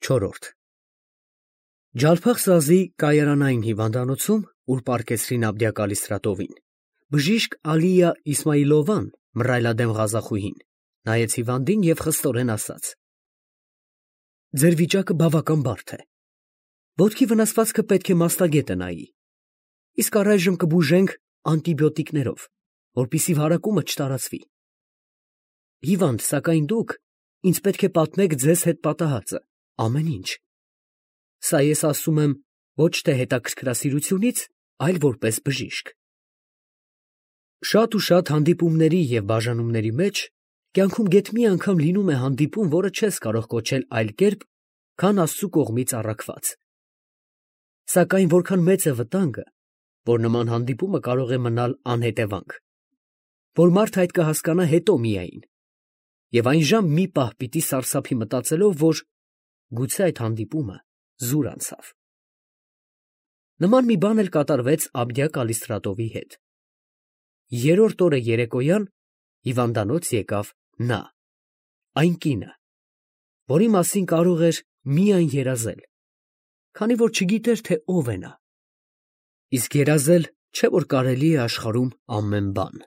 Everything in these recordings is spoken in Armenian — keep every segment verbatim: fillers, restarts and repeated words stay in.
Չորրորդ Ջալփախ-Սազի կայարանային հիվանդանոցում, ուր պառկեցրին Աբդիա Կալիստրատովին, բժիշկ Ալիա Իսմայիլովան, մռայլադեմ ղազախուհին, նայեց հիվանդին և խստորեն ասաց. «Ձեր վիճակը բավական բարդ է. ոտքի վնասվածքը պետք է մասնագետը նայի, իսկ առայժմ կբուժենք անտիբիոտիկներով, որպեսզի վարակումը չտարածվի։ Հիվանդ, սակայն դուք ինձ պետք է պատմեք ձեզ հետ պատահածը, ամեն ինչ։ Սա ես ասում եմ ոչ թե հետաքրքրասիրությունից, այլ որպես բժիշկ։ Շատ ու շատ հանդիպումների և բաժանումների մեջ կյանքում գեթ մի անգամ լինում է հանդիպում, որը չես կարող կոչել այլ կերպ, քան Աստծու կողմից առաքված։ Սակայն որքան մեծ է վտանգը, որ նման հանդիպումը կարող է մնալ անհետևանք, որ մարդը այդ կհասկանա հետո միայն, և այն ժամ մի պահ պիտի սարսափի մտածելով, որ գուցե այդ հանդիպումը զուր անցավ։ Նման մի բան էլ կատարվեց Աբդիա Կալիստրատովի հետ։ Երրորդ օրը երեկոյան հիվանդանոց եկավ նա, այն կինը, որի մասին կարող էր միայն երազել, քանի որ չգիտեր, թե ով է նա, իսկ երազել չէ, որ կարելի է աշխարհում ամեն բան։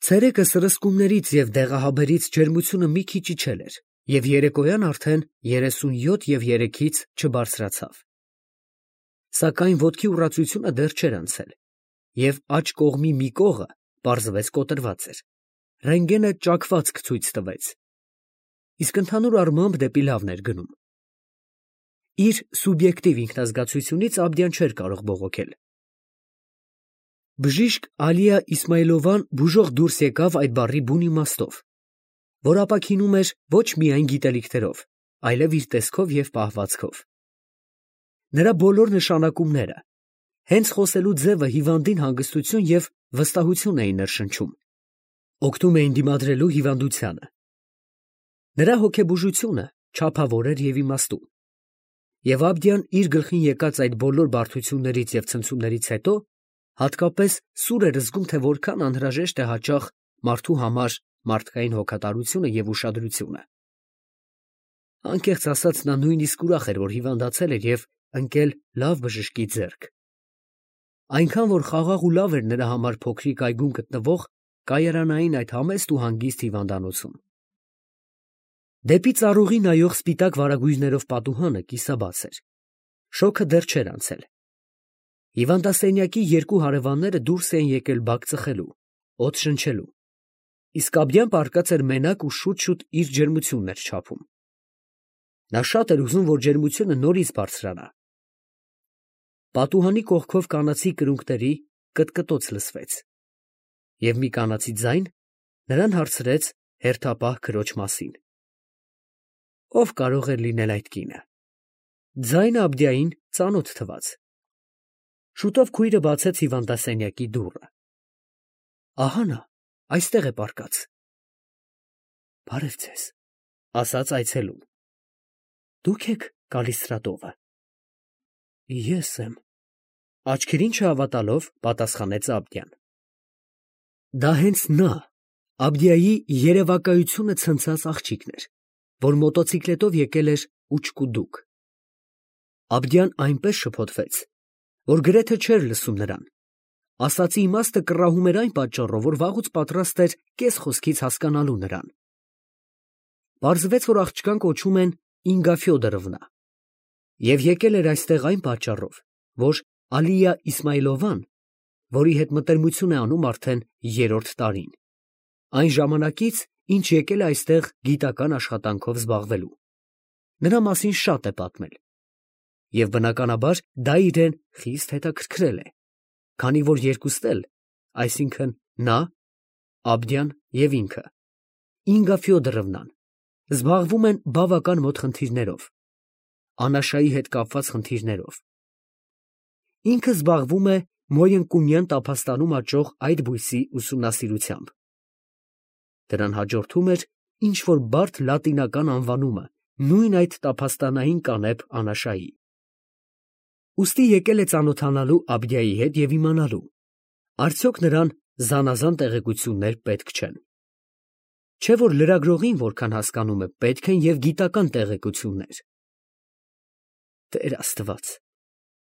Ցերեկը սրսկումներից և դեղահաբերից ջերմությունը մի քիչ իջել էր, և երեկոյան արդեն երեսունյոթ և երեքից չբարձրացավ։ Սակայն ոտքի ուռածությունը դեռ չէր անցել, և աջ կողմի մի կողը պարզվեց կոտրված էր, ռենտգենը ճաքվածք ցույց տվեց, իսկ ընդհանուր առմամբ դեպի լավն էր գնում։ Իր սուբյեկտիվ ինքնազգացությունից Աբդիան չէր կարող բողոքել։ Բժիշկ Ալիա Իսմայիլովան բուժող դուրս եկավ այդ բառի բուն իմաստով, որ ապաքինում էր ոչ միայն գիտելիքներով, այլև իր տեսքով և պահվածքով։ Նրա բոլոր նշանակումները, հենց խոսելու ձևը հիվանդին հանգստություն և վստահություն էին ներշնչում, օգնում էին դիմադրելու հիվանդությանը։ Նրա հոգեբուժությունը չափավոր էր և իմաստուն, և Աբդիան իր գլխին եկած այդ բոլոր բարդություններից և ցնցումներից հետո հատկապես սուր էր զգում, թե որքան անհրաժեշտ է հաճախ մարդու համար մարդկային հոգատարությունը և ուշադրությունը։ Անկեղծ ասած, նա նույնիսկ ուրախ էր, որ հիվանդացել էր և ընկել լավ բժշկի ձեռք, այնքան որ խաղաղ ու լավ էր նրա համար փոքրիկ այգում գտնվող կայարանային այդ համեստ ու հանգիստ հիվանդանոցում։ Դեպի ծառուղի նայող սպիտակ վարագույրներով պատուհանը կիսաբաց էր, շոգը դեռ չէր անցել։ Հիվանդասենյակի երկու հարևանները դուրս էին եկել բակ ծխելու, օդ շնչելու, իսկ Աբդիան պառկած էր մենակ ու շուտ֊շուտ իր ջերմությունն էր չափում։ Նա շատ էր ուզում, որ ջերմությունը նորից բարձրանա։ Պատուհանի կողքով կանացի կրունկների կտկտոց լսվեց, և մի կանացի ձայն նրան հարցրեց հերթապահ քրոջ մասին։ Ո՞վ կարող էր լինել այդ կինը։ Ձայնը Աբդիային ծանոթ թվաց։ Շուտով քույրը բացեց հիվանդասենյակի դուռը։ Ահա նա, այստեղ է պառկած։ Բարև ձեզ, ասաց այցելուն։ Դուք եք Կալիստրատովը։ Ես եմ, աչքերին չհավատալով պատասխանեց Աբդիան։ Դա հենց նա, Աբդիայի երևակայությունը ցնցած աղջիկն էր, որ մոտոցիկլետով եկել էր ուչկուդուկ։ Աբդիան այնպես շփոթվեց, որ գրեթե չէր լսում նրան, ասածի իմաստը կռահում էր այն պատճառով, որ վաղուց պատրաստ էր կես խոսքից հասկանալու նրան։ Պարզվեց, որ աղջկան կոչում են Ինգա Ֆյոդորովնա, և եկել էր այստեղ այն պատճառով, որ Ալիա Իսմայիլովան, որի հետ մտերմություն է անում արդեն երրորդ տարին, այն ժամանակից, ինչ եկել է այստեղ գիտական աշխատանքով զբաղվելու, նրա մասին շատ է պատմել, և բնականաբար դա իրեն խիստ հետաքրքրել է, քանի որ երկուստ էլ, այսինքն նա, Աբդիան և ինքը, Ինգա Ֆյոդորովնան, զբաղվում են բավական մոտ խնդիրներով, անաշայի հետ կապված խնդիրներով։ Ինքը զբաղվում է Մոյընկունյան տափաստանում աճող այդ բույսի ուսումնասիրությամբ։ Դրան հաջորդում էր ինչ֊որ բարդ լատինական անվանումը նույն այդ տափաստանային կանեփ անաշայի։ Ուստի եկել է ծանոթանալու Աբդիայի հետ և իմանալու, արդյոք նրան զանազան տեղեկություններ պետք չեն։ Չէ որ լրագրողին որքան հասկանում է, պետք են և գիտական տեղեկություններ։ Տեր Աստված,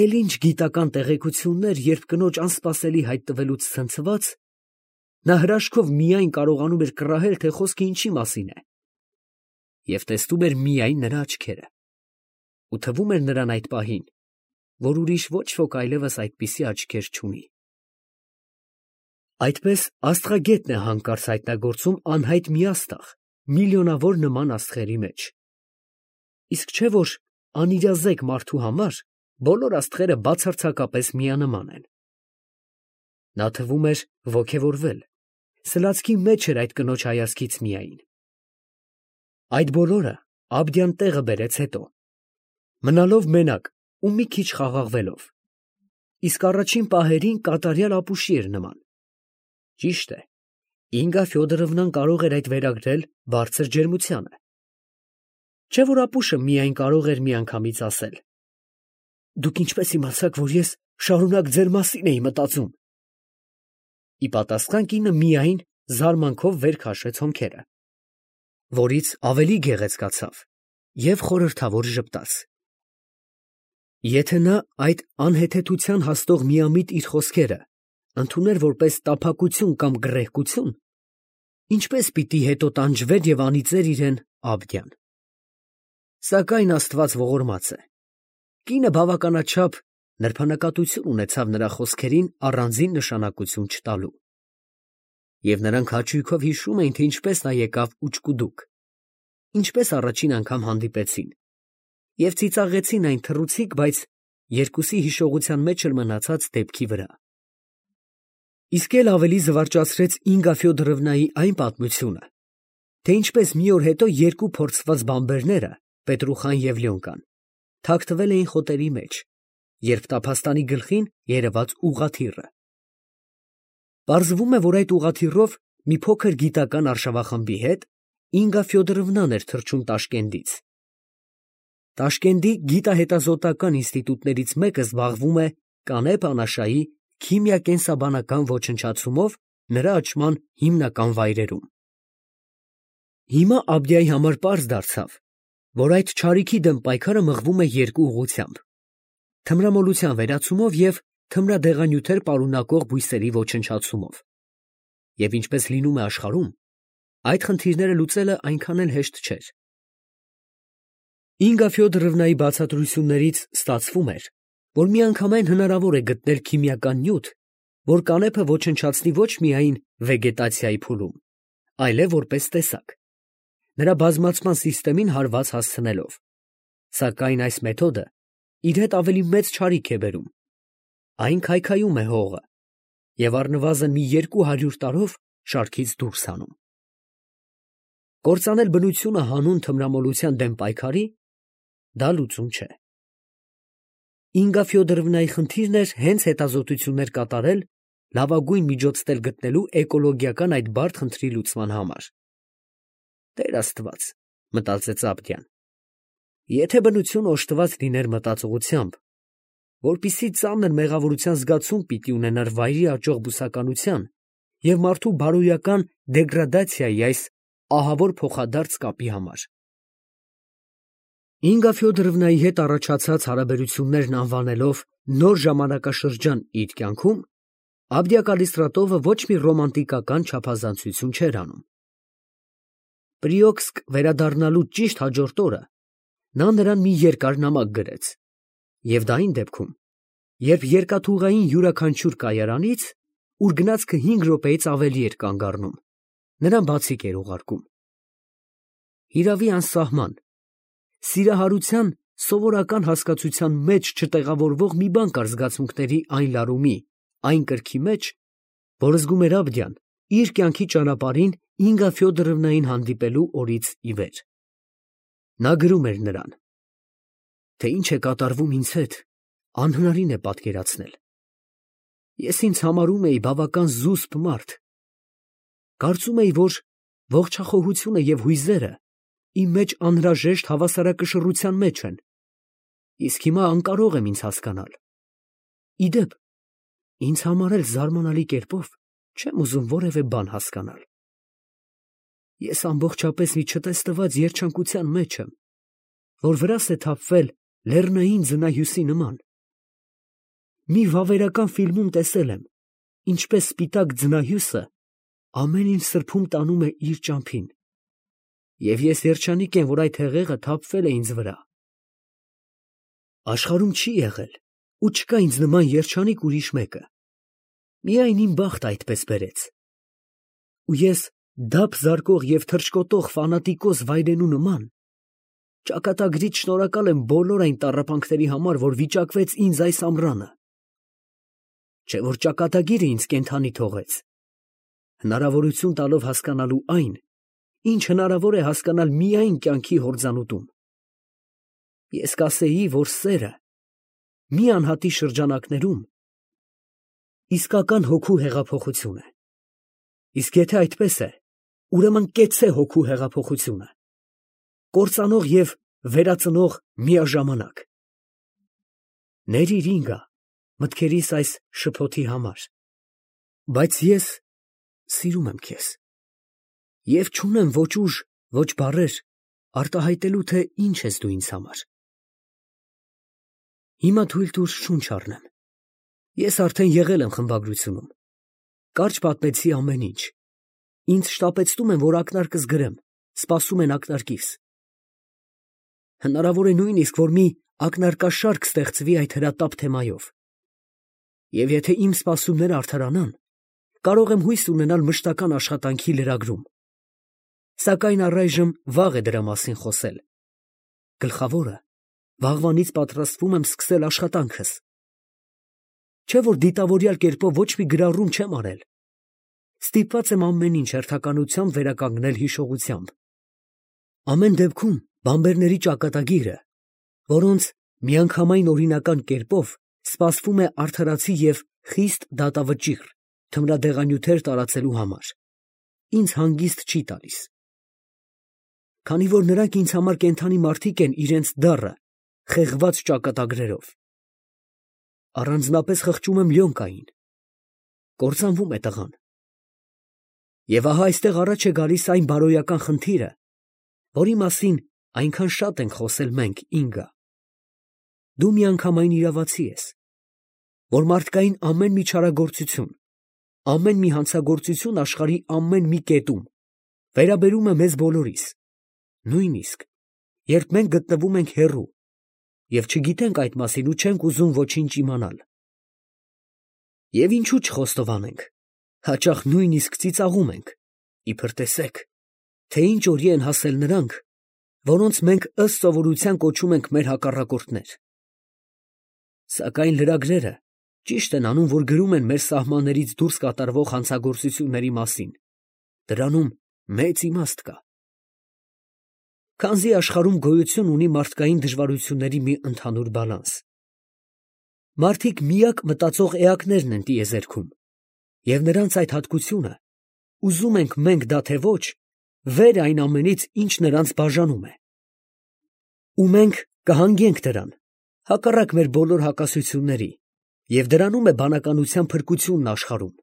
էլ ինչ գիտական տեղեկություններ, երբ կնոջ անսպասելի հայտ տվելուց ցնցված, նա հրաշքով միայն կարողանում էր կռահել, թե խոսքը ինչի մասին է, և տեսնում էր միայն նրա աչքերը, ու թվում էր նրան այդ պահին, որ ուրիշ ոչ ոք այլևս այդպիսի աչքեր չունի։ Այդպես աստղագետն է հանկարծ հայտնագործում անհայտ մի աստղ միլիոնավոր նման աստղերի մեջ, իսկ չէ որ անիրազեկ մարդու համար բոլոր աստղերը բացարձակապես միանման են։ Նա թվում էր ոգևորվել, սլացքի մեջ էր այդ կնոջ հայացքից միայն։ Այդ բոլորը Աբդյան տեղը բերեց հետո, մնալով մենակ ու մի քիչ խաղաղվելով, իսկ առաջին պահերին կատարյալ ապուշի էր նման։ Ճիշտ է, Ինգա Ֆյոդորովնան կարող էր այդ վերագրել բարձր ջերմությանը։ Չէ որ ապուշը միայն կարող էր միանգամից ասել. «Դուք ինչպես իմացաք, որ ես շարունակ ձեր մասին էի մտածում»։ Ի պատասխան կինը միայն զարմանքով վեր քաշեց հոնքերը, որից ավելի գեղեցկացավ և խորհրդավոր ժպտաց։ Եթե նա այդ անհեթեթության հասնող միամիտ իր խոսքերը ընդուներ որպես տափակություն կամ գռեհկություն, ինչպես պիտի հետո տանջվեր և անիծեր իրեն Աբդյան։ Սակայն Աստված ողորմած է, կինը բավականաչափ նրբանկատություն ունեցավ նրա խոսքերին առանձին նշանակություն չտալու, և նրանք հաճույքով հիշում էին, թե ինչպես նա եկավ ուչկուդուկ, ինչպես առաջին անգամ հանդիպեցին, և ծիծաղեցին այն թռուցիկ, բայց երկուսի հիշողության մեջ էլ մնացած դեպքի վրա։ Իսկ էլ ավելի զվարճացրեց Ինգա Ֆյոդորովնայի այն պատմությունը, թե ինչպես մի օր հետո երկու փորձված բանբերները, Պետրուխան և Լյոնկան, թաքնվել էին խոտերի մեջ, երբ տափաստանի գլխին երևաց ուղղաթիռը։ Պարզվում է, որ այդ ուղղաթիռով մի փոքր գիտական արշավախմբի հետ Ինգա Ֆյոդորովնան էր թռչում Տաշկենտից։ Տաշկենտի գիտահետազոտական ինստիտուտներից մեկը զբաղվում է Կանե Պանաշայի քիմիա֊կենսաբանական ոչնչացումով նրա աճման հիմնական վայրերում։ Հիմա Աբդյայի համար պարզ դարձավ, որ այդ չարիքի դեմ պայքարը մղվում է երկու ուղղությամբ՝ թմրամոլության վերացումով և թմրադեղանյութեր պարունակող բույսերի ոչնչացումով, և ինչպես լինում է աշխարհում, այդ խնդիրները լուծելը այնքան էլ հեշտ չէր։ Ինգա Ֆյոդորովնայի բացատրություններից ստացվում էր, որ միանգամայն հնարավոր է գտնել քիմիական նյութ, որ կանեփը ոչնչացնի ոչ միայն վեգետացիայի փուլում, այլև որպես տեսակ, նրա բազմացման սիստեմին հարված հասցնելով, սակայն այս մեթոդը իր հետ ավելի մեծ չարիք է բերում. այն քայքայում է հողը և առնվազն մի երկու հարյուր տարով շարքից դուրս հանում։ Կործանել բնությունը հանուն թմրամոլության դեմ պայքարի դա լուծում չէ։ Ինգա Ֆյոդորովնայի խնդիրն էր հենց հետազոտություններ կատարել լավագույն միջոցներ գտնելու էկոլոգիական այդ բարդ խնդրի լուծման համար։ Տեր Աստված, մտածեց Աբդյան, եթե բնությունը օժտված լիներ մտածողությամբ, որպիսի ծանր մեղավորության զգացում պիտի ունենար վայրի աճող բուսականության և մարդու բարոյական դեգրադացիայի այս ահավոր փոխադարձ կապի համար։ Ինգա Ֆյոդորովնայի հետ առաջացած հարաբերություններն անվանելով նոր ժամանակաշրջան իր կյանքում, Աբդյա Կալիստրատովը ոչ մի ռոմանտիկական չափազանցություն չէր անում։ Պրիոքսկ վերադառնալուց ճիշտ հաջորդ օրը նա նրան մի երկար նամակ գրեց, և դա այն դեպքում, երբ երկաթուղային յուրաքանչյուր կայարանից, ուր գնացքը հինգ րոպեից ավելի էր կանգ առնում, նրան բացիկ էր ուղարկում։ Հիրավի անսահման, սիրահարության սովորական հասկացության մեջ չտեղավորվող մի բան կար զգացմունքների այն լարումի, այն կրքի մեջ, որ զգում էր Աբդյան իր կյանքի ճանապարհին Ինգա Ֆյոդորովնային հանդիպելու օրից ի վեր։ Նա գրում էր նրան, թե ինչ է կատարվում ինձ հետ, անհնարին է պատկերացնել։ Ես ինձ համարում էի բավական զուսպ մարդ։ Կարծում էի, որ ողջախոհությունը և հույզերը իմ մեջ անհրաժեշտ հավասարակշռության մեջ են, իսկ հիմա անկարող եմ ինձ հասկանալ։ Ի դեպ, ինձ համար էլ զարմանալի կերպով չեմ ուզում որևէ բան հասկանալ։ Ես ամբողջապես մի չտեսնված երջանկության մեջ եմ, որ վրաս է թափվել լեռնային ձնահյուսի նման։ Մի վավերական ֆիլմում տեսել եմ, ինչպես սպիտակ ձնահյուսը ամեն ինչ սրբում տանում է իր ճամփին, և ես երջանիկ եմ, որ այդ հեղեղը թափվել է ինձ վրա։ Աշխարհում չի եղել ու չկա ինձ նման երջանիկ ուրիշ մեկը, միայն իմ բախտը այդպես բերեց։ Ու ես դափ զարկող և թռչկոտող ֆանատիկոս վայրենու նման ճակատագրիդ շնորհակալ եմ բոլոր այն տառապանքների համար, որ վիճակվեց ինձ այս ամռանը։ Չէ՞ որ ճակատագիրը ինձ կենդանի թողեց, հնարավորություն տալով հասկանալու այն, ինչ հնարավոր է հասկանալ միայն կյանքի հորձանուտում։ Ես կասեի, որ սերը մի անհատի շրջանակներում իսկական հոգու հեղափոխություն է, իսկ եթե այդպես է, ուրեմն կեցցե հոգու հեղափոխությունը, կործանող և վերածնող միաժամանակ։ Ներիր ինգա մտքերիս այս շփոթի համար, բայց ես սիրում եմ քեզ և չունեմ ոչ ուժ, ոչ բառեր արտահայտելու, թե ինչ ես դու ինձ համար։ Հիմա թույլ տուր շունչ առնեմ։ Ես արդեն եղել եմ խմբագրությունում, կարճ պատմեցի ամեն ինչ, ինձ շտապեցնում են, որ ակնարկս գրեմ, սպասում են ակնարկիս։ Հնարավոր է նույնիսկ, որ մի ակնարկաշարք ստեղծվի այդ հրատապ թեմայով, և եթե իմ սպասումները արդարանան, կարող եմ հույս ունենալ մշտական աշխատանքի լրագրում, սակայն առայժմ վաղ է դրա մասին խոսել։ Գլխավորը, վաղվանից պատրաստվում եմ սկսել աշխատանքս։ Չէ՞ որ դիտավորյալ կերպով ոչ մի գրառում չեմ արել, ստիպված եմ ամեն ինչ հերթականությամբ վերականգնել հիշողությամբ։ Ամեն դեպքում բամբերների ճակատագիրը, որոնց միանգամայն օրինական կերպով սպասվում է արդարացի և խիստ դատավճիռ թմրադեղանյութեր տարածելու համար, ինձ հանգիստ չի տալիս։ Քանի որ նրանք ինձ համար կենդանի մարդիկ են իրենց դառը, խեղված ճակատագրերով։ Առանձնապես խղճում եմ Լյոնկային, կործանվում է տղան։ Եվ ահա այստեղ առաջ է գալիս այն բարոյական խնդիրը, որի մասին այնքան շատ ենք խոսել մենք, ինգա։ Դու միանգամայն իրավացի ես, որ մարդկային ամեն մի չարագործություն, ամեն մի հանցագործություն աշխարհի ամեն մի կետում վերաբերում է մեզ բոլորիս, նույնիսկ երբ մենք գտնվում ենք հեռու և չգիտենք այդ մասին ու չենք ուզում ոչինչ իմանալ։ Եվ ինչու չխոստովանենք, հաճախ նույնիսկ ծիծաղում ենք, իբր տեսեք, թե ինչ օրի են հասել նրանք, որոնց մենք ըստ սովորության կոչում ենք մեր հակառակորդներ։ Սակայն լրագրերը ճիշտ են անում, որ գրում են մեր սահմաններից դուրս կատարվող հանցագործությունների մասին, դրանում մեծ իմաստ կա։ Քանզի աշխարհում գոյություն ունի մարդկային դժվարությունների մի ընդհանուր բալանս։ Մարդիկ միակ մտածող էակներն են տիեզերքում, և նրանց այդ հատկությունը, ուզում ենք մենք դա թե ոչ, վեր այն ամենից, ինչ նրանց բաժանում է։ Ու մենք կհանգենք դրան, հակառակ մեր բոլոր հակասությունների, և դրանում է բանականության փրկությունն աշխարհում։